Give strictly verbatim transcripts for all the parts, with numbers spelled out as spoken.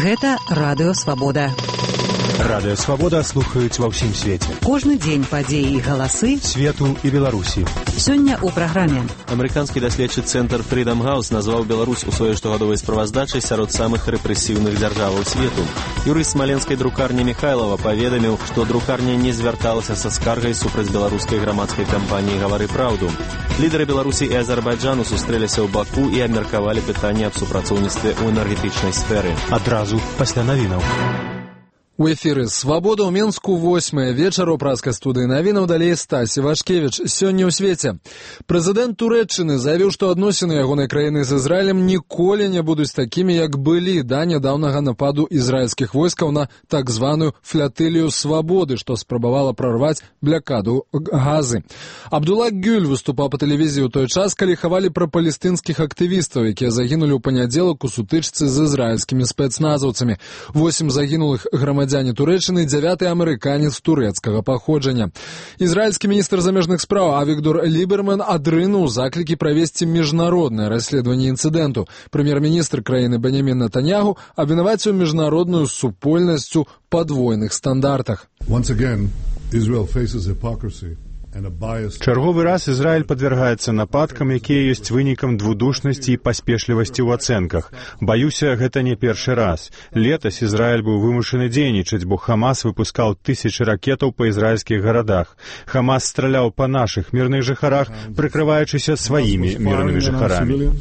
Гэта Радыё Свабода. Радыё Свабода слухаюць ва ўсім свеце. Кожны дзень падзеі і галасы свету і Беларусі. Сёння ў праграме. Амерыканскі даследчы цэнтр Freedom House назваў Беларусь у сваёй штогадовай справаздачай сярод самых рэпрэсіўных дзяржаваў свету. Юрыст смаленскай друкарні Михайлова паведаміў, што друкарня не звярталася са скаргай супраць беларускай грамадскай кампаніі «Гавары праўду». Лідары Беларусі і Азербайджану сустрэліся ў Баку і абмеркавалі пытанне аб супрацоўніцтве ў энергетычнай сферы. Адразу пасля навінаў. У эфіры «Свабода» ў Менску восьмая вечара ў праскай студыі навінаў далей Стасі Вашкевіч. Сёння ў свеце. Прэзідэнт Турэччыны заявіў, што адносіны ягонай краіны з Ізраілем ніколі не будуць такімі, як былі да нядаўнага нападу ізраільскіх войскаў на так званую флятылію свабоды, што спрабавала прарваць блякаду Газы. Абдулла Гюль выступаў па тэлевізіі ў той час, калі хавалі пра палестынскіх актывістаў, якія загінулі ў панядзелак у сутычцы з ізраільскімі спецназаўцамі. Восем загінулых грамадзян Турэччыны, дзявяты амерыканец турэцкага паходжання. Ізраільскі міністр замежных спраў Авігдор Ліберман адрынуў заклікі правесці міжнароднае расследаванне інцыдэнту. Прэм'ер-міністр краіны Беньямін Нетаньяху абвінаваціў міжнародную супольнасць у падвойных стандартах. Once again, Israel faces hypocrisy. Чарговы раз Ізраіль падвяргаецца нападкам, якія ёсць вынікам двудушнасці і паспешлівасці ў ацэнках. Баюся, гэта не першы раз. Летась Ізраіль быў вымушаны дзейнічаць, бо Хамас выпускаў тысячы ракетаў па ізраільскіх гарадах. Хамас страляў па нашых мірных жыхарах, прыкрываючыся сваімі мірнымі жыхарамі.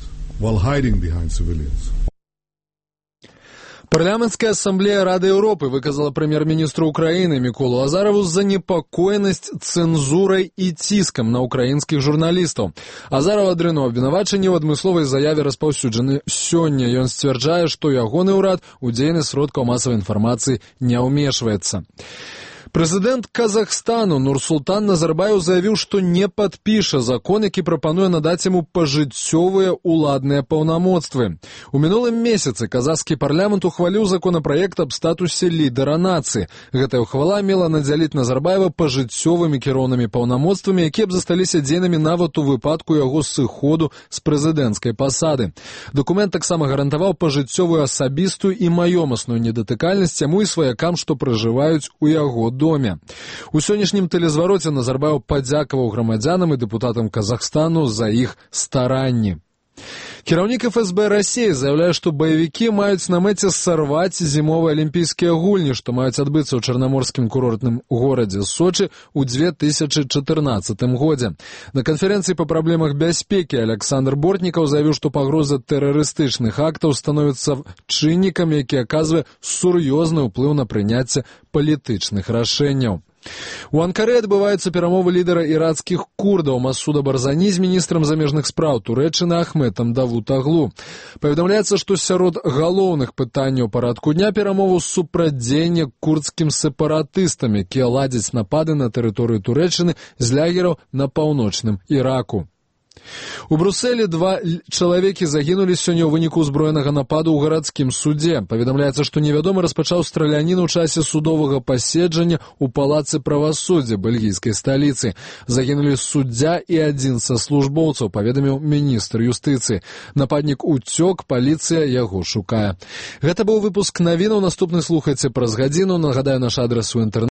Парламенцкая ассамблея Рады Еўропы выказала прэм'ер-міністру Украіны Міколу Азарову занепакоенасць цэнзурай і ціскам на украінскіх журналістаў. Азаров адрынуў абвінавачанні ў адмысловай заяве распаўсюджаны сёння. Ён сцвярджае, што ягоны ўрад у дзейнасць сродкаў масавай інфармацыі не ўмешваецца. Прэзідэнт Казахстану Нурсултан Назарбаев заявіў, што не падпіша закон, які прапануе надаць яму пажыццёвыя ўладныя паўнамоцтвы. У мінулым месяцы казахскі парламент ухваліў законапраект аб статусе лідара нацыі. Гэтая ўхвала мела надзяліць Назарбаева пажыццёвымі кіроўнымі паўнамоцтвамі, якія б засталіся дзейнымі нават у выпадку яго сыходу з прэзідэнцкай пасады. Дакумент таксама гарантаваў пажыццёвую асабістую і маёмасную недатыкальнасць яму і сваякам, што пражываюць у яго доме. У сённяшнім тэлезвароце Назарбаев падзякаваў грамадзянам і дэпутатам Казахстану за іх старанні. Кіраўнік эф эс бэ Расіі заяўляе, што баевікі маюць на мэце сарваць зімовыя алімпійскія гульні, што маюць адбыцца ў чарнаморскім курортным горадзе Сочы ў две тысячы чатырнаццатым годзе. На канферэнцыі па праблемах бяспекі Александр Бортнікаў заявіў, што пагроза тэрарыстычных актаў становіцца чыннікам, які аказвае сур'ёзны ўплыў на прыняцце палітычных рашэнняў. У Анкары адбываюцца перамовы лідара іракскіх курдаў Масуда Барзані з міністрам замежных спраў Турэччыны Ахметам Давутаглу. Паведамляецца, што сярод галоўных пытанняў парадку дня перамоваў супрацьдзеяння курдскім сепаратыстам, якія ладзяць напады на тэрыторыю Турэччыны з лагераў на паўночным Іраку. У Брусэлі два чалавекі загінулі сёння ў выніку ўзброенага нападу ў гарадскім судзе. Паведамляецца, што невядомы распачаў страляніну ў часе судовага паседжання ў палацы правасуддзя бельгійскай сталіцы. Загінулі суддзя і адзін са службоўцаў, паведаміў міністр юстыцыі. Нападнік уцёк, паліцыя яго шукае. Гэта быў выпуск навінаў. Наступны слухайце праз гадзіну. Нагадаю, наш адрас у інтэрнэце